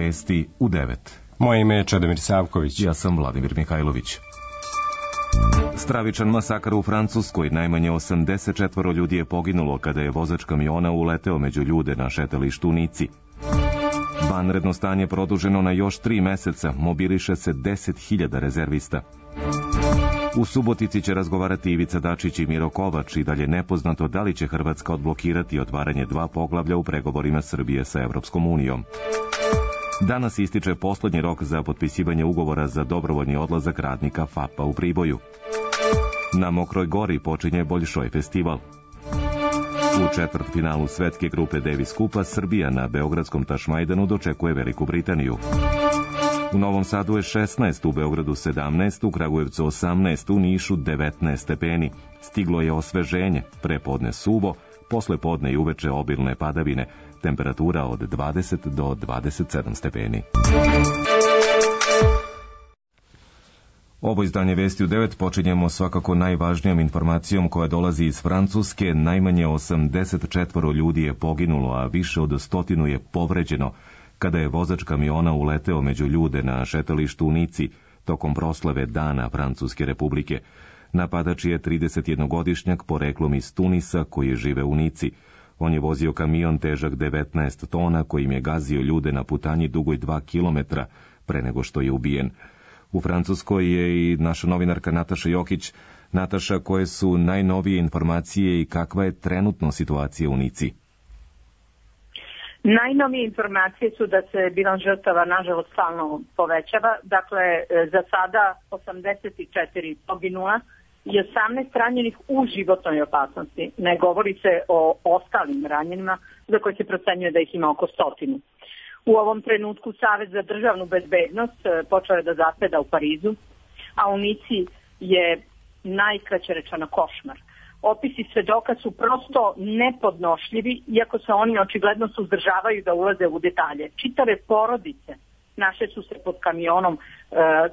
Vesti u 9. Moje ime je Čedomir Savković. Ja sam Vladimir Mihajlović. Stravičan masakar u Francuskoj. Najmanje 84 ljudi je poginulo kada je vozač kamiona uleteo među ljude na šetalištu u Nici. Vanredno stanje produženo na još 3 meseca. Mobiliše se 10.000 rezervista. U Subotici će razgovarati Ivica Dačić i Miro Kovač i dalje nepoznato da li će Hrvatska odblokirati otvaranje 2 poglavlja u pregovorima Srbije sa Evropskom unijom. Danas ističe poslednji rok za potpisivanje ugovora za dobrovoljni odlazak radnika FAP-a u Priboju. Na Mokroj Gori počinje Boljšoj festival. U četvrtfinalu svetske grupe Davis Kupa Srbija na beogradskom Tašmajdanu dočekuje Veliku Britaniju. U Novom Sadu je 16, u Beogradu 17, u Kragujevcu 18, u Nišu 19 stepeni. Stiglo je osveženje, prepodne suvo, posle podne i uveče obilne padavine, temperatura od 20 do 27 stepeni. Ovo izdanje Vesti u 9 počinjemo svakako najvažnijom informacijom koja dolazi iz Francuske. Najmanje 84 ljudi je poginulo, a više od 100 je povređeno kada je vozač kamiona uleteo među ljude na šetalištu u Nici tokom proslave Dana Francuske republike. Napadač je 31-godišnjak poreklom iz Tunisa koji žive u Nici. On je vozio kamion težak 19 tona kojim je gazio ljude na putanji dugoj 2 kilometra pre nego što je ubijen. U Francuskoj je i naša novinarka Nataša Jokić. Nataša, koje su najnovije informacije i kakva je trenutno situacija u Nici? Najnovije informacije su da se bilans žrtava nažalost stalno povećava. Dakle, za sada 84 poginula i 18 ranjenih u životnoj opasnosti. Ne govori se o ostalim ranjenima za koje se procenjuje da ih ima oko 100. U ovom trenutku Savet za državnu bezbednost počeo je da zaseda u Parizu, a u Nici je najkraće rečeno košmar. Opisi svedoka su prosto nepodnošljivi, iako se oni očigledno suzdržavaju da ulaze u detalje. Čitave porodice naše su se pod kamionom,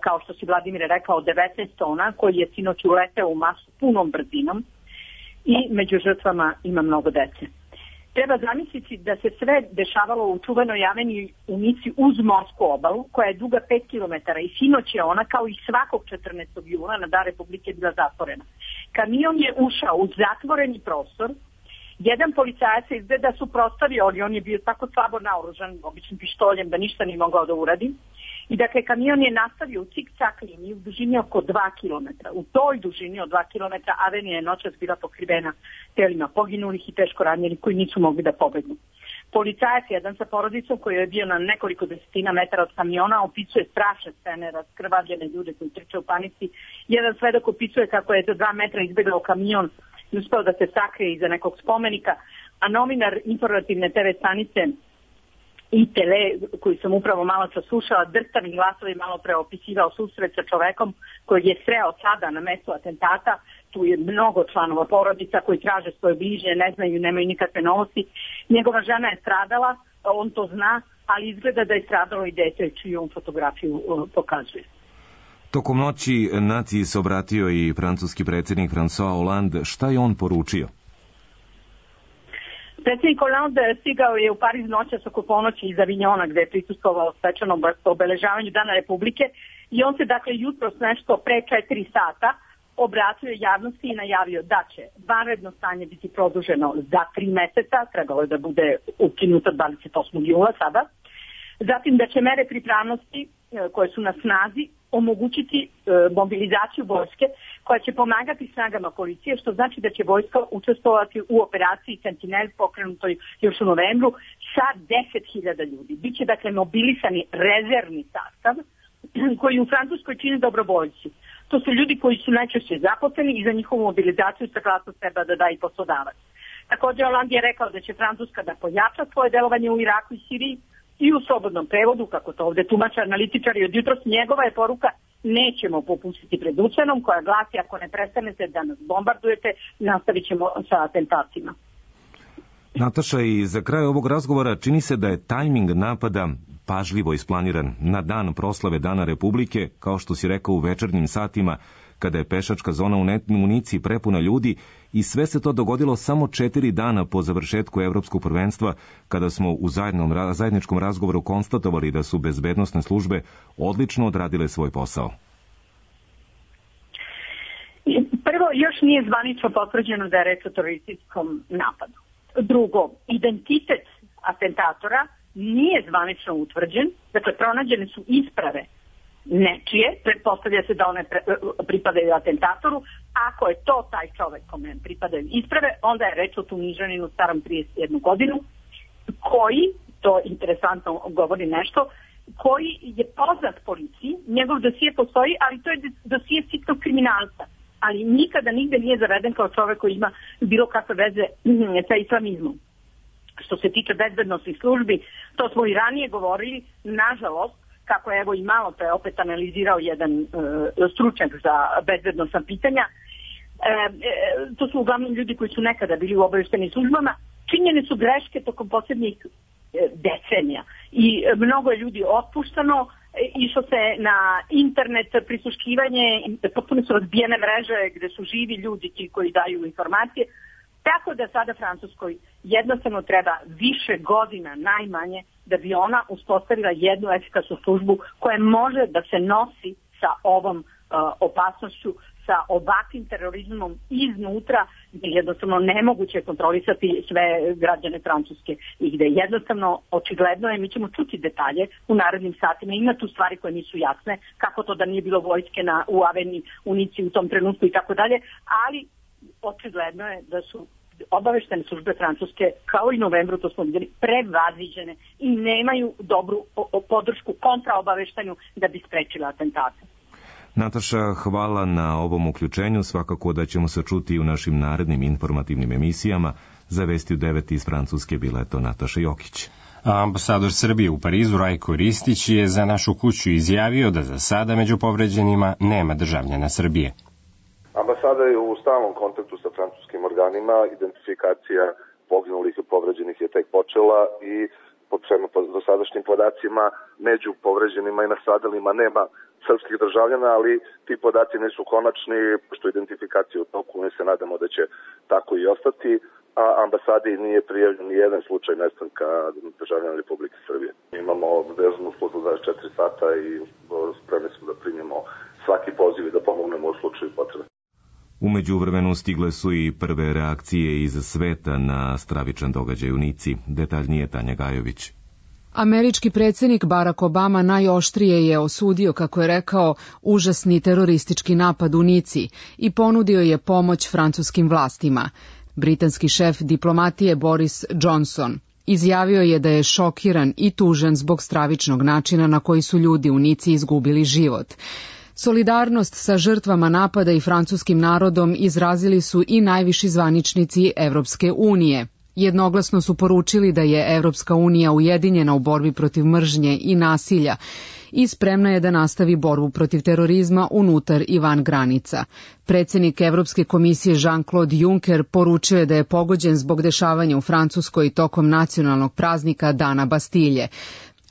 kao što si Vladimir rekao, 19 tona, koji je sinoć uleteo u masu punom brzinom i među žrtvama ima mnogo dece. Treba zamisliti da se sve dešavalo u čuvenoj aveniji u Nici uz morsku obalu, koja je duga 5 km i sinoć je ona, kao i svakog 14. juna na Dan Republike, bila zatvorena. Kamion je ušao u zatvoreni prostor, jedan policajac se izgleda suprotstavio, ali on je bio tako slabo naoružan, običnim pištoljem, da ništa nije mogao da uradi. I dakle, kamion je nastavio u cik-cak liniji u dužini oko 2 km. U toj dužini od 2 km avenija je noćas bila pokrivena telima poginulih i teško ranjenih koji nisu mogli da pobegnu. Policajac, jedan sa porodicom koji je bio na nekoliko desetina metara od kamiona, opisuje strašne scene, raskrvavljene ljude koji trče u panici. Jedan svedok opisuje kako je za 2 metra izbegao kamion i uspeo da se sakrije iza nekog spomenika, a novinar informativne TV stanice i tele, koju sam upravo malo čas slušala, drstavim glasovi malo pre opisivao susret sa čovekom koji je sreo sada na mestu atentata. Tu je mnogo članova porodica koji traže svoje bližnje, ne znaju, nemaju nikakve novosti. Njegova žena je stradala, on to zna, ali izgleda da je stradalo i dete, čiju on fotografiju pokazuje. Tokom noći naciji se obratio i francuski predsjednik François Hollande. Šta je on poručio? Predsjednik Hollande stigao je u Pariz noćas oko ponoći iz Avignona, gde je prisustvovao svečanom obeležavanju Dana Republike, i on se dakle jutros nešto pre 4 sata obratio javnosti i najavio da će vanredno stanje biti produženo za 3 meseca, trebalo je da bude ukinuto 28. jula sada, zatim da će mere pripravnosti koje su na snazi omogućiti mobilizaciju vojske koja će pomagati snagama policije, što znači da će vojska učestvovati u operaciji Sentinel pokrenutoj još u novembru sa 10.000 ljudi. Biće dakle mobilisani rezervni sastav koji u Francuskoj čine dobrovoljci. To su ljudi koji su najčešće zaposleni i za njihovu mobilizaciju saglasnost treba da da i poslodavac. Također Hollande je rekao da će Francuska da pojača svoje delovanje u Iraku i Siriji i u slobodnom prevodu, kako to ovde tumače analitičari od jutros, njegova je poruka: nećemo popustiti pred ucenom, koja glasi: ako ne prestanete da nas bombardujete, nastavit ćemo sa atentatima. Nataša, i za kraj ovog razgovora čini se da je tajming napada pažljivo isplaniran na dan proslave Dana Republike, kao što si rekao, u večernjim satima, kada je pešačka zona u Nici prepuna ljudi i sve se to dogodilo samo 4 dana po završetku evropskog prvenstva, kada smo u zajedničkom razgovoru konstatovali da su bezbednosne službe odlično odradile svoj posao. Prvo, još nije zvanično potvrđeno da je reč o terorističkom napadu. Drugo, identitet atentatora nije zvanično utvrđen, dakle pronađene su isprave nečije, pretpostavlja se da one pripadaju atentatoru. Ako je to taj čovek kome pripadaju isprave, onda je reč o Tunižaninu starom 31 godinu, koji, to interesantno govori nešto, koji je poznat policiji, njegov dosije postoji, ali to je dosije sitnog kriminalca, ali nikada nigde nije zaveden kao čovek koji ima bilo kakve veze sa islamizmom. Što se tiče bezbednosnih službi, to smo i ranije govorili, nažalost, kako je evo i malo to je opet analizirao jedan stručnjak za bezbednosna pitanja, to su uglavnom ljudi koji su nekada bili u obaveštajnim službama, činjene su greške tokom posljednjih decenija i mnogo je ljudi otpuštano, išlo se na internet prisluškivanje, potpuno su razbijene mreže gde su živi ljudi ti koji daju informacije, tako da sada Francuskoj jednostavno treba više godina najmanje da bi ona uspostavila jednu efikasnu službu koja može da se nosi sa ovom opasnošću, sa ovakvim terorizmom iznutra, gdje je jednostavno nemoguće kontrolisati sve građane Francuske i gdje jednostavno očigledno je, mi ćemo čuti detalje u narednim satima, ima tu stvari koje nisu jasne, kako to da nije bilo vojske u Aveni, u Nici u tom trenutku i tako dalje, ali očigledno je da su obaveštene službe Francuske, kao i novembru, to smo vidjeli, prevaziđene i nemaju dobru podršku kontraobaveštanju da bi sprečila atentate. Nataša, hvala na ovom uključenju. Svakako da ćemo se čuti u našim narednim informativnim emisijama. Za Vesti u 9 iz Francuske bila je to Nataša Jokić. Ambasador Srbije u Parizu Rajko Ristić je za Našu kuću izjavio da za sada među povređenima nema državljana Srbije. Ambasada je u stalnom kontaktu sa francuskim organima, identifikacija poginulih i povređenih je tek počela i po dosadašnjim podacima među povređenima i nastradalima nema srpskih državljana, ali ti podaci nisu konačni, pošto identifikacija u toku, mi se nadamo da će tako i ostati, a ambasadi nije prijavljen ni jedan slučaj nestanka državljana Republike Srbije. Imamo vezanu službu 24 sata i spremni smo da primimo svaki poziv i da pomognemo u slučaju potrebe. U međuvremenu stigle su i prve reakcije iz sveta na stravičan događaj u Nici. Detaljnije Tanja Gajović. Američki predsjednik Barack Obama najoštrije je osudio, kako je rekao, užasni teroristički napad u Nici i ponudio je pomoć francuskim vlastima. Britanski šef diplomatije Boris Johnson izjavio je da je šokiran i tužan zbog stravičnog načina na koji su ljudi u Nici izgubili život. Solidarnost sa žrtvama napada i francuskim narodom izrazili su i najviši zvaničnici Evropske unije. Jednoglasno su poručili da je Evropska unija ujedinjena u borbi protiv mržnje i nasilja i spremna je da nastavi borbu protiv terorizma unutar i van granica. Predsjednik Evropske komisije Jean-Claude Juncker poručio je da je pogođen zbog dešavanja u Francuskoj tokom nacionalnog praznika Dana Bastilje.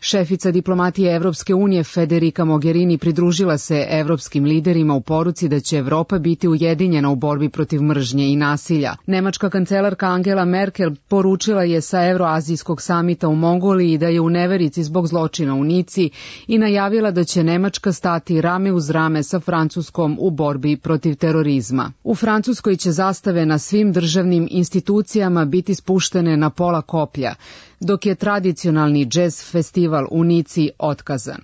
Šefica diplomatije Evropske unije Federica Mogherini pridružila se evropskim liderima u poruci da će Evropa biti ujedinjena u borbi protiv mržnje i nasilja. Nemačka kancelarka Angela Merkel poručila je sa Evroazijskog samita u Mongoliji da je u neverici zbog zločina u Nici i najavila da će Nemačka stati rame uz rame sa Francuskom u borbi protiv terorizma. U Francuskoj će zastave na svim državnim institucijama biti spuštene na pola koplja, dok je tradicionalni džez festival u Nici otkazan.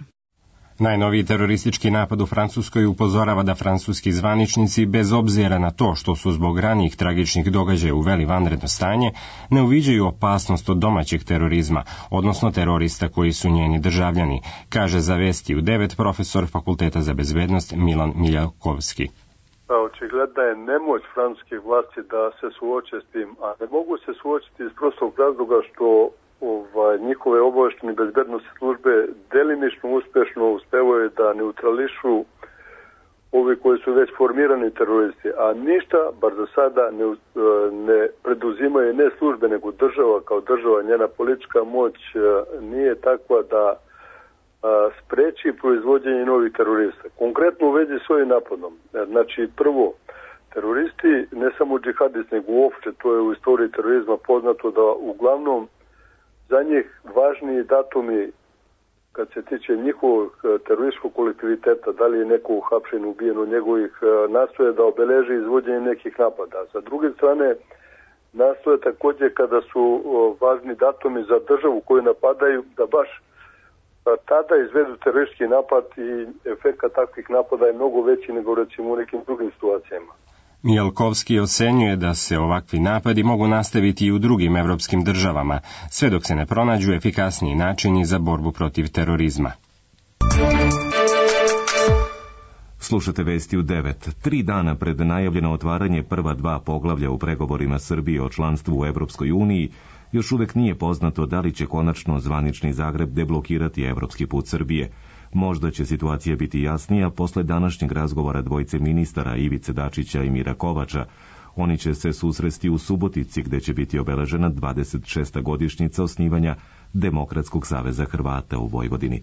Najnoviji teroristički napad u Francuskoj upozorava da francuski zvaničnici, bez obzira na to što su zbog ranijih tragičnih događaja uveli vanredno stanje, ne uviđaju opasnost od domaćeg terorizma, odnosno terorista koji su njeni državljani, kaže za Vesti u 9 profesor Fakulteta za bezbednost Milan Miljakovski. Očigledna je nemoć francuskih vlasti da se suoče s tim, a ne mogu se suočiti iz prostog razloga što njihove obaveštene bezbednosne službe delimično uspešno uspevaju da neutrališu ovi koji su već formirani teroristi, a ništa, bar za sada, ne preduzimaju ne službe, nego država kao država, njena politička moć nije takva da spreči proizvođenje novih terorista. Konkretno u vezi s ovim napadom. Znači, prvo, teroristi, ne samo džihadisti, nego uopšte, to je u istoriji terorizma poznato da uglavnom za njih važniji datumi kad se tiče njihovog terorističkog kolektiviteta, da li je neko uhapšen, ubijen od njegovih, nastoje da obeleži izvođenje nekih napada. Sa druge strane, nastoje također kada su važni datumi za državu koju napadaju, da baš tada izvedu teroristički napad i efekt takvih napada je mnogo veći nego recimo u nekim drugim situacijama. Mijalkovski ocenjuje da se ovakvi napadi mogu nastaviti i u drugim evropskim državama, sve dok se ne pronađu efikasniji načini za borbu protiv terorizma. Slušate vesti u 9. 3 dana pred najavljeno otvaranje prva 2 poglavlja u pregovorima Srbije o članstvu u Evropskoj uniji, još uvek nije poznato da li će konačno zvanični Zagreb deblokirati evropski put Srbije. Možda će situacija biti jasnija posle današnjeg razgovora dvojice ministara Ivice Dačića i Mira Kovača. Oni će se susresti u Subotici, gde će biti obeležena 26. godišnjica osnivanja Demokratskog saveza Hrvata u Vojvodini.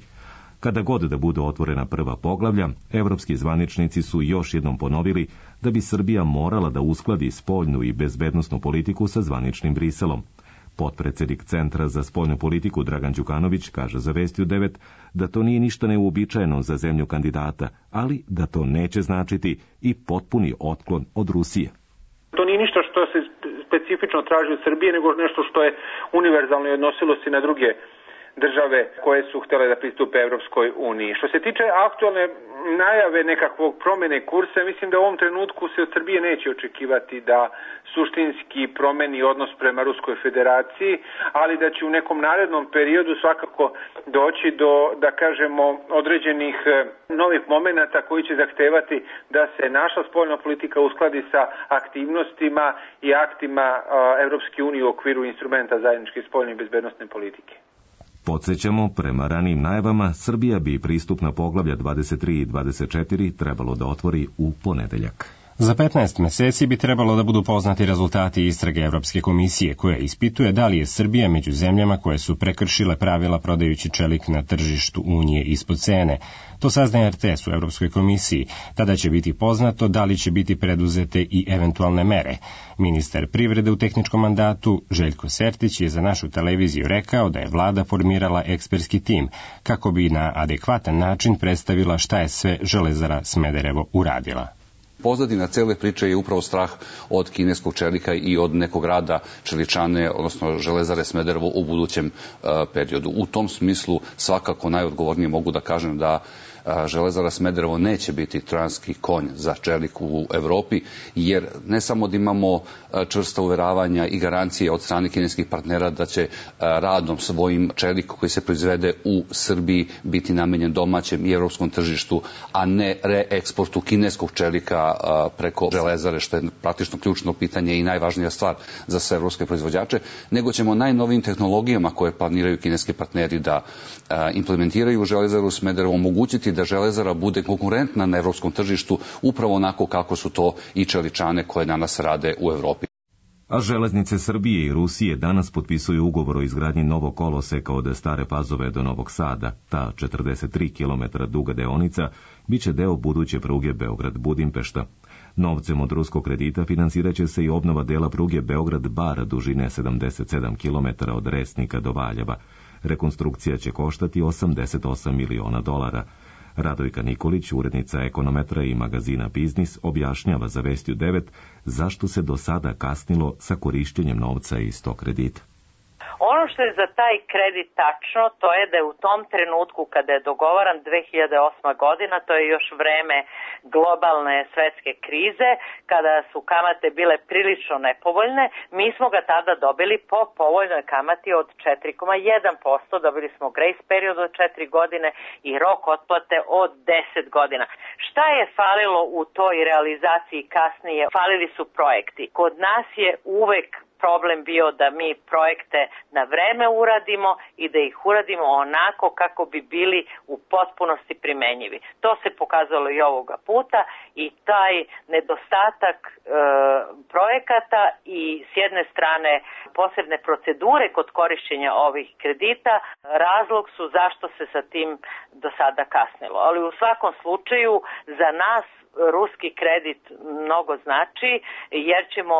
Kada god da budu otvorena prva poglavlja, evropski zvaničnici su još jednom ponovili da bi Srbija morala da uskladi spoljnu i bezbednosnu politiku sa zvaničnim Briselom. Potpredsednik Centra za spoljnu politiku Dragan Đukanović kaže za Vesti u 9 da to nije ništa neuobičajeno za zemlju kandidata, ali da to neće značiti i potpuni otklon od Rusije. To nije ništa što se specifično traži od Srbije, nego nešto što je univerzalno i odnosilo se na druge države koje su htjele da pristupe Evropskoj uniji. Što se tiče aktualne najave nekakvog promene kursa, mislim da u ovom trenutku se od Srbije neće očekivati da suštinski promeni odnos prema Ruskoj federaciji, ali da će u nekom narednom periodu svakako doći do, da kažemo, određenih novih momenata koji će zahtevati da se naša spoljna politika uskladi sa aktivnostima i aktima Evropske unije u okviru instrumenta zajedničke spoljne i bezbednosne politike. Podsjećamo, prema ranijim najavama, Srbija bi pristupna poglavlja 23 i 24 trebalo da otvori u ponedeljak. Za 15 meseci bi trebalo da budu poznati rezultati istrage Evropske komisije, koja ispituje da li je Srbija među zemljama koje su prekršile pravila prodajući čelik na tržištu Unije ispod cene. To saznaje RTS u Evropskoj komisiji. Tada će biti poznato da li će biti preduzete i eventualne mere. Ministar privrede u tehničkom mandatu Željko Sertić je za našu televiziju rekao da je vlada formirala ekspertski tim kako bi na adekvatan način predstavila šta je sve Železara Smederevo uradila. Pozadina cele priče je upravo strah od kineskog čelika i od nekog rada čeličane, odnosno Železare Smederevo u budućem periodu. U tom smislu svakako najodgovornije mogu da kažem da Železara Smederevo neće biti trojanski konj za čelik u Evropi, jer ne samo da imamo čvrsta uveravanja i garancije od strane kineskih partnera da će radom svojim čelik koji se proizvede u Srbiji biti namenjen domaćem i evropskom tržištu, a ne reeksportu kineskog čelika preko Železare, što je praktično ključno pitanje i najvažnija stvar za sve evropske proizvođače, nego ćemo najnovijim tehnologijama koje planiraju kineski partneri da implementiraju Železaru Smederevo omogućiti da Železara bude konkurentna na evropskom tržištu upravo onako kako su to i čeličane koje danas rade u Evropi. A Železnice Srbije i Rusije danas potpisuju ugovor o izgradnji novog koloseka od Stare Pazove do Novog Sada. Ta 43 km duga deonica biće deo buduće pruge Beograd-Budimpešta. Novcem od ruskog kredita finansirat će se i obnova dela pruge Beograd-Bar dužine 77 km od Resnika do Valjeva. Rekonstrukcija će koštati $88 miliona. Radojka Nikolić, urednica Ekonometra i magazina Biznis, objašnjava za Vesti u 9 zašto se do sada kasnilo sa korišćenjem novca iz tog kredita. Ono što je za taj kredit tačno, to je da je u tom trenutku kada je dogovaran 2008. godina, to je još vreme globalne svetske krize, kada su kamate bile prilično nepovoljne, mi smo ga tada dobili po povoljnoj kamati od 4,1%, dobili smo grace period od 4 godine i rok otplate od 10 godina. Šta je falilo u toj realizaciji kasnije? Falili su projekti. Kod nas je uvek problem bio da mi projekte na vreme uradimo i da ih uradimo onako kako bi bili u potpunosti primenjivi. To se pokazalo i ovoga puta i taj nedostatak projekata i s jedne strane posebne procedure kod korišćenja ovih kredita razlog su zašto se sa tim do sada kasnilo. Ali u svakom slučaju za nas ruski kredit mnogo znači jer ćemo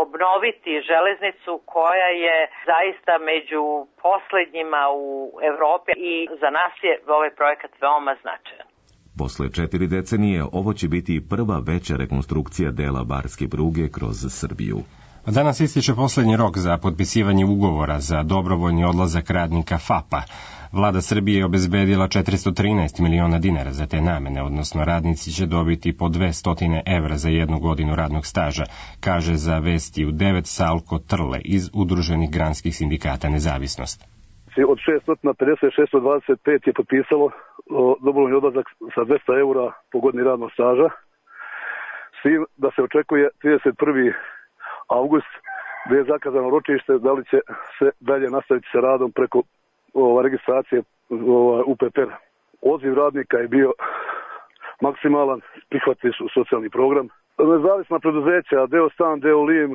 obnoviti železnicu koja je zaista među poslednjima u Evropi i za nas je ovaj projekat veoma značajan. Posle 4 decenije ovo će biti prva veća rekonstrukcija dela barske pruge kroz Srbiju. Danas ističe poslednji rok za potpisivanje ugovora za dobrovoljni odlazak radnika FAP-a. Vlada Srbije je obezbedila 413 miliona dinara za te namene, odnosno radnici će dobiti po 200 evra za 1 godinu radnog staža, kaže za Vesti u 9 Salko Trle iz Udruženih granskih sindikata Nezavisnost. Od 650-625 je potpisalo dobrovoljni odlazak sa 200 eura po godini radnog staža, s tim da se očekuje 31. avgust gde je zakazano ročište da li će se dalje nastaviti sa radom preko registracije UPPR. Odziv radnika je bio maksimalan, prihvatili su socijalni program. Nezavisna preduzeća, deo Stan, deo Lim,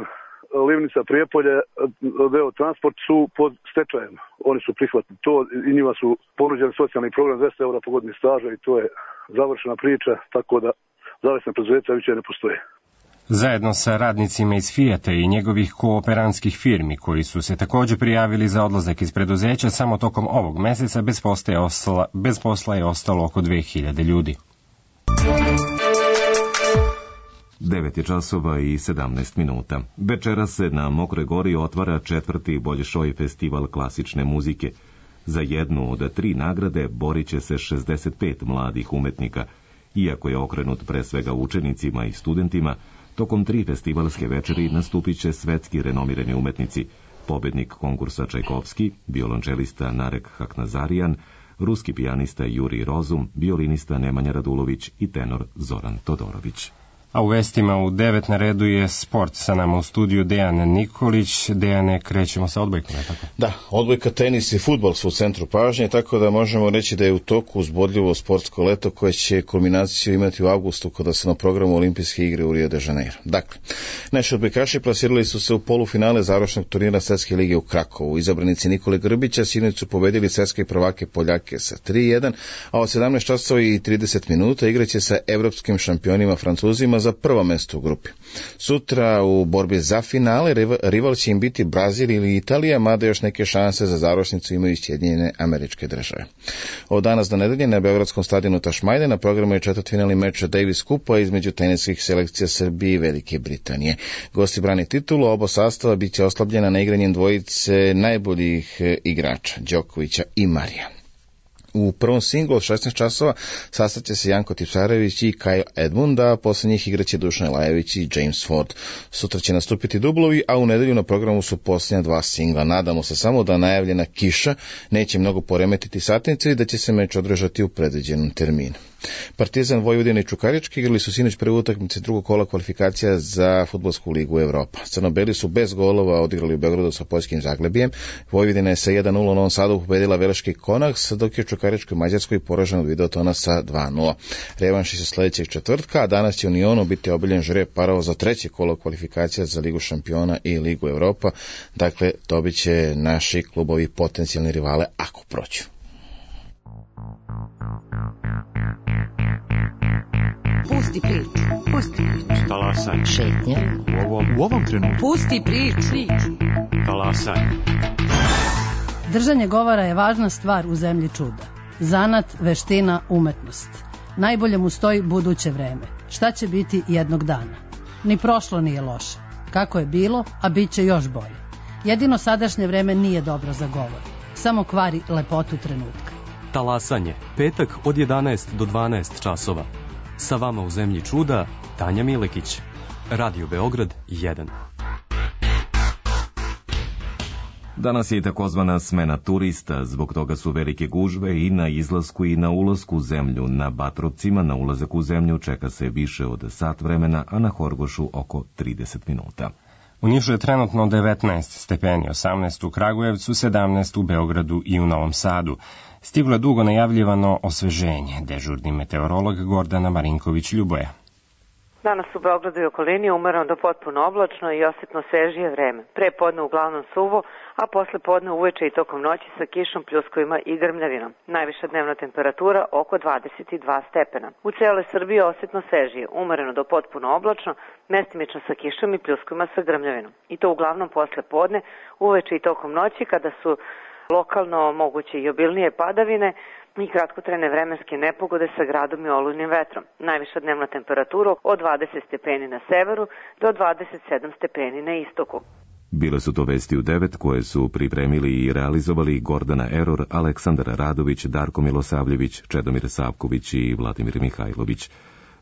Livnica Prijepolje, deo Transport su pod stečajem. Oni su prihvatili to i njima su ponuđeni socijalni program 200 eura po godini staža i to je završena priča, tako da zavisna preduzeća više ne postoje. Zajedno sa radnicima iz Fijata i njegovih kooperantskih firmi koji su se također prijavili za odlazak iz preduzeća, samo tokom ovog meseca bez posla je ostalo oko 2000 ljudi. 9 je časova i 17 minuta. Večeras se na Mokroj Gori otvara 4. Bolšoj festival klasične muzike. Za jednu od 3 nagrade borit će se 65 mladih umetnika. Iako je okrenut pre svega učenicima i studentima, tokom 3 festivalske večeri nastupit će svetski renomirani umetnici, pobednik konkursa Čajkovski, violončelista Narek Haknazarian, ruski pijanista Jurij Rozum, violinista Nemanja Radulović i tenor Zoran Todorović. A u vestima u 9 na redu je sport. Sa nama u studiju Dejan Nikolić. Dejane, krećemo sa odbojkom, je tako? Da, odbojka, tenis i fudbal su u centru pažnje, tako da možemo reći da je u toku uzbudljivo sportsko leto koje će kulminaciju imati u avgustu kada su na programu Olimpijske igre u Rio de Janeiro. Dakle, naši odbojkaši plasirali su se u polufinale završnog turnira Svetske lige u Krakovu. Izabranici Nikole Grbića sinoć su pobedili svetske prvake Poljake sa 3:1, a od 17 časova i 30 minuta igraće sa evropskim šampionima Francuzima za prvo mesto u grupi. Sutra u borbi za finale rival će im biti Brazil ili Italija, mada još neke šanse za završnicu imaju Sjedinjene Američke Države. Od danas do nedelje na beogradskom stadionu Tašmajde na programu je četvrtfinalni meč Davis Kupa između teniskih selekcija Srbije i Velike Britanije. Gosti brane titulu, oba sastava biće oslabljena na igranjem dvojice najboljih igrača, Đokovića i Marija. U prvom singlu od 16 časova sastaće se Janko Tipsarević i Kyle Edmund, a posle njih igraće Dušan Lajević i James Ford. Sutra će nastupiti dublovi, a u nedelju na programu su posljednja 2 singla. Nadamo se samo da najavljena kiša neće mnogo poremetiti satnicu i da će se meč održati u predviđenom terminu. Partizan, Vojvodina i Čukarički igrali su sinoć prve utakmice drugog kola kvalifikacija za Fudbalsku ligu Evropa. Crnobeli su bez golova odigrali u Beogradu sa poljskim Zaglebijem. Vojvodina je sa 1:0 u Novom Sadu pobedila Veleški Konaks, dok je Čukaričkoj Mađarskoj poražen od Videotona sa 2:0. Revanši se sledećeg četvrtka, a danas će u Unionu biti obiljen žreb parova za treće kolo kvalifikacija za Ligu šampiona i Ligu Evropa. Dakle, dobit će naši klubovi potencijalni rivale ako prođu. Pusti priču. Talasaj. Šetnja. U ovom trenutku. Pusti priču. Talasaj. Držanje govora je važna stvar u zemlji čuda. Zanat, veština, umetnost. Najbolje mu stoji buduće vreme. Šta će biti jednog dana? Ni prošlo nije loše. Kako je bilo, a bit će još bolje. Jedino sadašnje vreme nije dobro za govor. Samo kvari lepotu trenutka. Talasanje. Petak od 11 do 12 časova. Sa vama u zemlji čuda, Tanja Milekić. Radio Beograd 1. Danas je i takozvana smena turista, zbog toga su velike gužve i na izlasku i na ulasku u zemlju. Na Batrovcima na ulazak u zemlju čeka se više od sat vremena, a na Horgošu oko 30 minuta. U Nišu je trenutno 19 stepeni, 18 u Kragujevcu, 17 u Beogradu i u Novom Sadu. Stiglo je dugo najavljivano osveženje. Dežurni meteorolog Gordana Marinković-Ljuboja. Danas u Beogradu i okolini umereno do potpuno oblačno i osjetno svežije vreme. Pre podne uglavnom suvo, a posle podne uveče i tokom noći sa kišom, pljuskovima i grmljavinom. Najviša dnevna temperatura oko 22 stepena. U celoj Srbiji osjetno svežije, umereno do potpuno oblačno, mestimično sa kišom i pljuskovima sa grmljavinom. I to uglavnom posle podne, uveče i tokom noći kada su lokalno moguće i obilnije padavine i kratkotrajne vremenske nepogode sa gradom i olujnim vetrom. Najviša dnevna temperatura od 20 stepeni na severu do 27 stepeni na istoku. Bile su to vesti u 9 koje su pripremili i realizovali Gordana Eror, Aleksandar Radović, Darko Milosavljević, Čedomir Savković i Vladimir Mihajlović.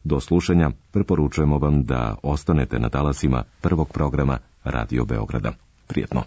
Do slušanja preporučujemo vam da ostanete na talasima prvog programa Radio Beograda. Prijetno.